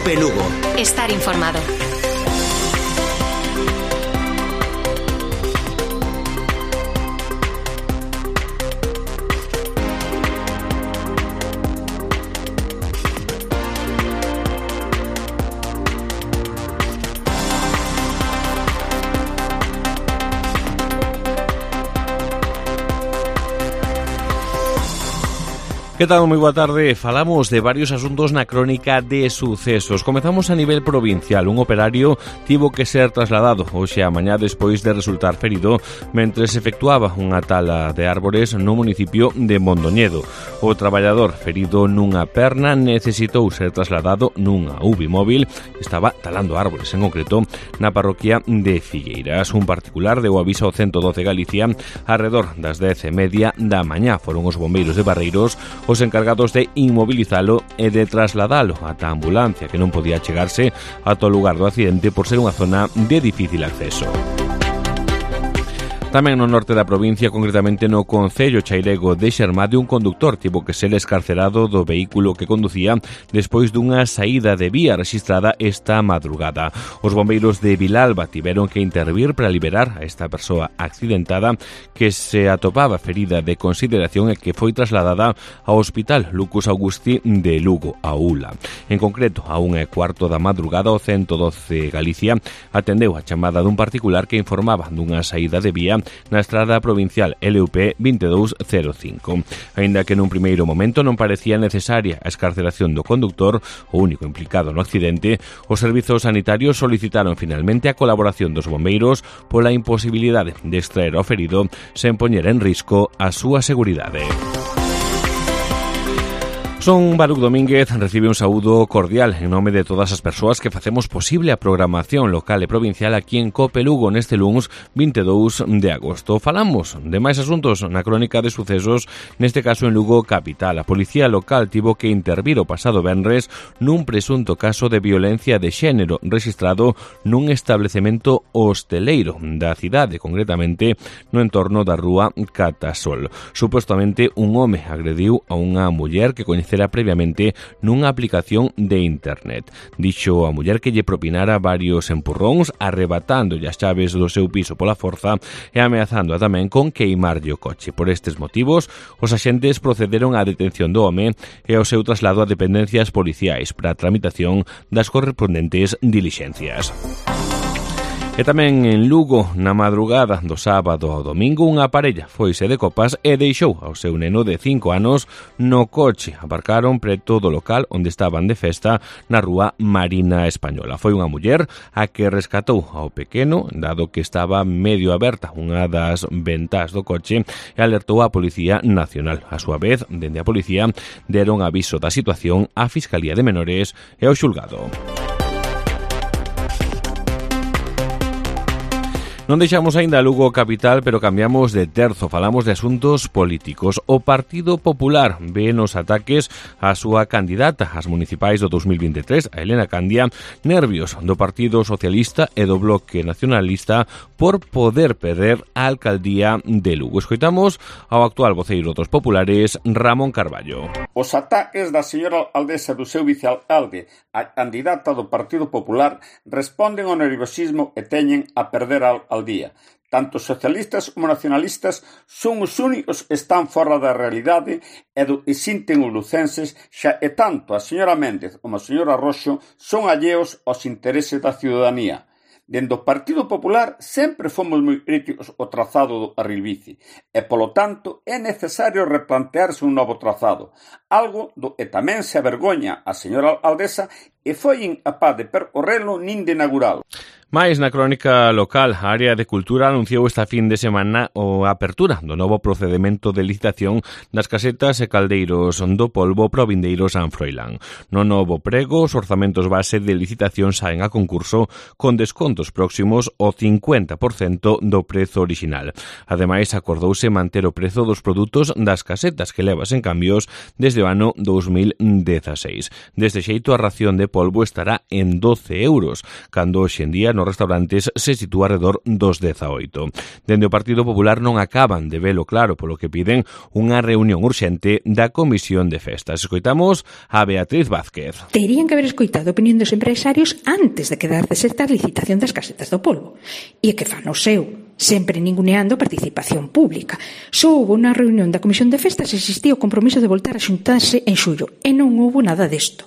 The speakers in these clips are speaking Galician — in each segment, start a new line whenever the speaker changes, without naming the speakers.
COPE Lugo.
Estar informado.
Que tal? Moi boa tarde. Falamos de varios asuntos na crónica de sucesos. Comezamos a nivel provincial. Un operario tivo que ser trasladado hoxe a mañá despois de resultar ferido mentre se efectuaba unha tala de árbores no municipio de Mondoñedo. O traballador ferido nunha perna necesitou ser trasladado nunha UBI móvil. Estaba talando árbores, en concreto na parroquia de Figueiras. Un particular deu aviso ao 112 Galicia arredor das 10:30 da mañá. Foron os bombeiros de Barreiros os encargados de inmobilizalo e de trasladalo ata a ambulancia, que non podía chegarse ata o lugar do accidente por ser unha zona de difícil acceso. Tamén no norte da provincia, concretamente no concello chairego de Xermade, un conductor tivo que ser escarcerado do vehículo que conducía despois dunha saída de vía rexistrada esta madrugada. Os bombeiros de Vilalba tiveron que intervir para liberar a esta persoa accidentada que se atopaba ferida de consideración e que foi trasladada ao Hospital Lucus Augusti de Lugo, a ULA. En concreto, a 1:15 da madrugada, o 112 Galicia atendeu a chamada dun particular que informaba dunha saída de vía na estrada provincial LUP 2205. Aínda que nun primeiro momento non parecía necesaria a escarceración do conductor, o único implicado no accidente, os servizos sanitarios solicitaron finalmente a colaboración dos bombeiros pola imposibilidade de extraer ao ferido sen poñer en risco a súa seguridade. Son Baruch Domínguez, recibe un saúdo cordial en nome de todas as persoas que facemos posible a programación local e provincial aquí en COPE Lugo neste luns 22 de agosto. Falamos de máis asuntos na crónica de sucesos, neste caso en Lugo capital. A policía local tivo que intervir o pasado venres nun presunto caso de violencia de xénero rexistrado nun establecemento hosteleiro da cidade, concretamente no entorno da rúa Catasol. Supostamente un home agrediu a unha muller que coñecera previamente nunha aplicación de internet. Dixo a muller que lle propinara varios empurróns, arrebatándolle as chaves do seu piso pola forza e ameazando tamén con queimarlle o coche. Por estes motivos, os axentes procederon á detención do home e ao seu traslado a dependencias policiais para a tramitación das correspondentes dilixencias. E tamén en Lugo, na madrugada do sábado ao domingo, unha parella foise de copas e deixou ao seu neno de 5 anos no coche. Aparcaron preto do local onde estaban de festa na rúa Marina Española. Foi unha muller a que rescatou ao pequeno, dado que estaba medio aberta unha das ventás do coche, e alertou á Policía Nacional. A súa vez, dende a policía, deron aviso da situación á Fiscalía de Menores e ao xulgado. Non deixamos aínda Lugo capital, pero cambiamos de terzo. Falamos de asuntos políticos. O Partido Popular ve nos ataques á súa candidata ás municipais do 2023, a Elena Candia, nervios do Partido Socialista e do Bloque Nacionalista por poder perder a alcaldía de Lugo. Escoitamos ao actual voceiro dos populares, Ramón Carballo.
Os ataques da señora alcaldesa do seu vicealcalde, a candidata do Partido Popular, responden ao nerviosismo e teñen a perder al día. Tanto socialistas como nacionalistas son os únicos que están fora da realidade e do que sinten os lucenses, xa e tanto a señora Méndez como a señora Roxo son alleos aos intereses da ciudadanía. Dende o Partido Popular sempre fomos moi críticos ao trazado do carril bici e, polo tanto, é necesario replantearse un novo trazado, algo do que tamén se avergoña a señora alcaldesa e foi incapaz de percorrelo nin de inauguralo.
Mais na crónica local, a área de Cultura anunciou esta fin de semana a apertura do novo procedimento de licitación das casetas e caldeiros do polvo pro vindeiro San Froilán. No novo prego, os orzamentos base de licitación saen a concurso con descontos próximos ao 50% do prezo original. Ademais, acordouse manter o prezo dos produtos das casetas que levas en cambios desde o ano 2016. Deste xeito, a ración de polvo estará en 12 euros, cando hoxe en día nos restaurantes se sitúa alrededor dos 18. Dende o Partido Popular non acaban de velo claro, polo que piden unha reunión urxente da Comisión de Festas. Escoitamos a Beatriz Vázquez.
Terían que haber escoitado a opinión dos empresarios antes de quedar deserta a licitación das casetas do polvo. E que fan o seu, sempre ninguneando a participación pública. Só houve unha reunión da Comisión de Festas e existía o compromiso de voltar a xuntarse en xullo, e non houve nada desto.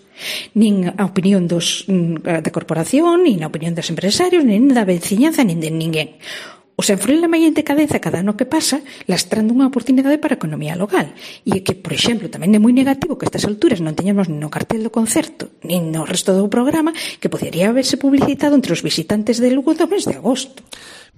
Nin a opinión da corporación, nin a opinión dos empresarios, nin da veciñanza, nin de ninguén. O Senfrelema e en decadeza cada ano que pasa, lastrando unha oportunidade para a economía local. E que, por exemplo, tamén é moi negativo que a estas alturas non teñamos nin no cartel do concerto, nin no resto do programa, que podería haberse publicitado entre os visitantes de Lugo do mes de agosto.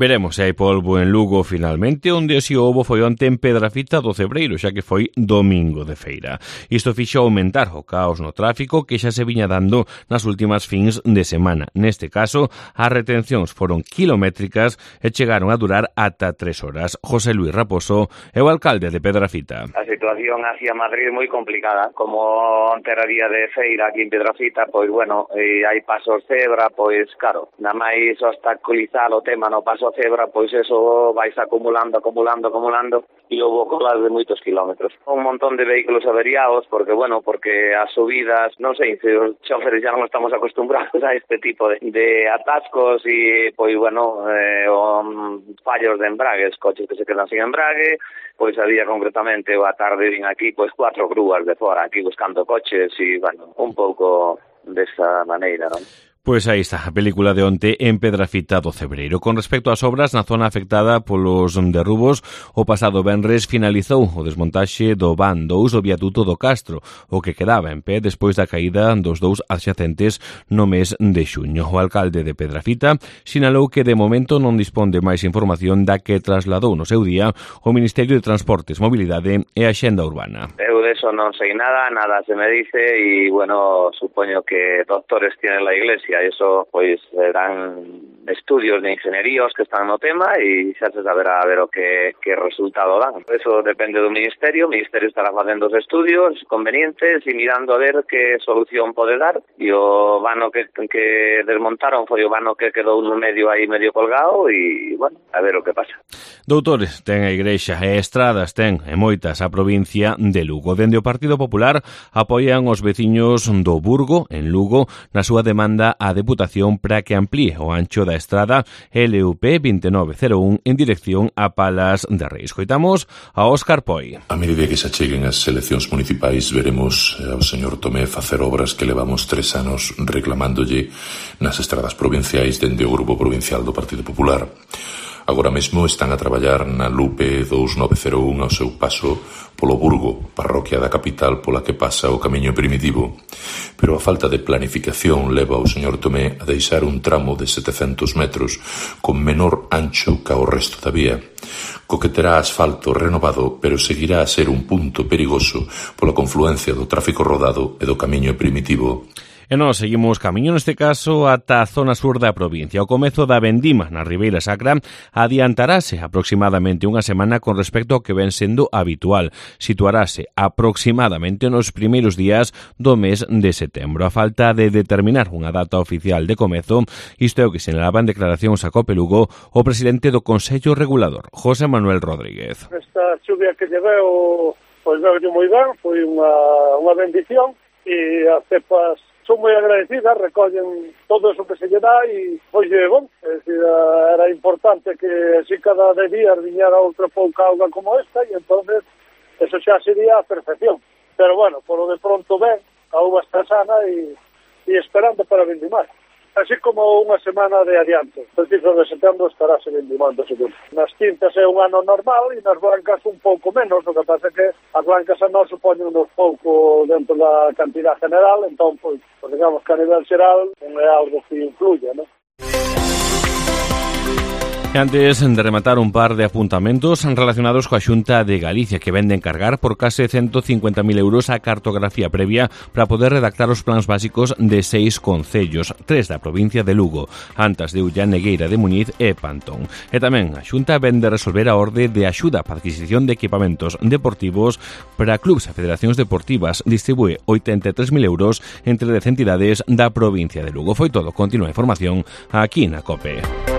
Veremos se hai polvo en Lugo finalmente, onde si houbo foi onte en Pedrafita do Cebreiro, xa que foi domingo de feira. Isto fixo aumentar o caos no tráfico que xa se viña dando nas últimas fins de semana. Neste caso, as retencións foron kilométricas e chegaron a durar ata 3 horas. José Luis Raposo é o alcalde de Pedrafita.
A situación hacia Madrid é moi complicada. Como onte era día de feira aquí en Pedrafita, pois bueno, hai pasos cebra, pois claro, nada máis obstaculizar o tema no paso cebra, pois eso vais acumulando e houve colas de moitos kilómetros. Un montón de vehículos averiados porque as subidas, non sei, se os choferes xa non estamos acostumbrados a este tipo de atascos e fallos de embragues, coches que se quedan sin embrague. Pois había concretamente a tarde vin aquí 4 grúas de fora aquí buscando coches e un pouco desa maneira, non?
Pois aí está, a película de onte en Pedrafita do Cebreiro. Con respecto ás obras na zona afectada polos derrubos, o pasado venres finalizou o desmontaxe do van 2 do viaduto do Castro, o que quedaba en pé despois da caída dos dous adxacentes no mes de xuño. O alcalde de Pedrafita sinalou que de momento non dispón de máis información da que trasladou no seu día o Ministerio de Transportes, Mobilidade e Axenda Urbana.
Eu de eso non sei nada se me dice e, supoño que doctores tiene la Iglesia. Eso, pois, serán estudios de ingenieríos que están no tema e xa se saberá a ver o que resultado dan. Eso depende do Ministerio. O Ministerio estará facendo os estudios convenientes e mirando a ver que solución pode dar. E o vano que desmontaron foi o vano que quedou no medio aí medio colgado e, a ver o que pasa.
Doutores ten a Igrexa e estradas ten e moitas a provincia de Lugo. Dende o Partido Popular apoian os veciños do Burgo, en Lugo, na súa demanda a Deputación para que amplíe o ancho da estrada LUP 2901 en dirección a Palas de Reis. Coitamos a Óscar Poi.
A medida que se acheguen as eleccións municipais, veremos ao señor Tomé facer obras que levamos 3 anos reclamándolle nas estradas provinciais dende o Grupo Provincial do Partido Popular. Agora mesmo están a traballar na LUP 2901 ao seu paso polo Burgo, parroquia da capital pola que pasa o camiño primitivo. Pero a falta de planificación leva ao señor Tomé a deixar un tramo de 700 metros con menor ancho ca o resto da vía, co que terá asfalto renovado, pero seguirá a ser un punto perigoso pola confluencia do tráfico rodado e do camiño primitivo.
E nós seguimos camiño neste caso ata a zona sur da provincia. O comezo da vendima na Ribeira Sacra adiantarase aproximadamente unha semana con respecto ao que ven sendo habitual. Situarase aproximadamente nos primeiros días do mes de setembro. A falta de determinar unha data oficial de comezo, isto é o que sinalaba en declaracións a Cope Lugo o presidente do Consello Regulador, José Manuel Rodríguez.
Esta chuvia que lleveu, pois veulle moi ben, foi unha bendición e as cepas son moi agradecidas, recollen todo eso que se lle dá e, pois, é decir, era importante que así cada 10 días viñera outra pouca auga como esta e entonces eso xa sería a perfección. Pero, por lo de pronto a auga está sana e esperando para vendimar. Así como unha semana de adianto. O 15 de setembro estará se vendimando, seguro. Nas tintas é un ano normal e nas blancas un pouco menos. O que pasa é que as blancas a nós supoñen uns pouco dentro da cantidad general, entón, pois, digamos que a nivel xeral non é algo que influya, non?
E antes de rematar, un par de apuntamentos relacionados coa Xunta de Galicia, que vende encargar por case 150.000 euros a cartografía previa para poder redactar os plans básicos de 6 concellos, 3 da provincia de Lugo, Antas de Ulla, Negueira de Muñiz e Pantón. E tamén a Xunta vende resolver a orde de axuda para adquisición de equipamentos deportivos para clubs e federacións deportivas. Distribúe 83.000 euros entre 10 entidades da provincia de Lugo. Foi todo. Continúa a información aquí na COPE.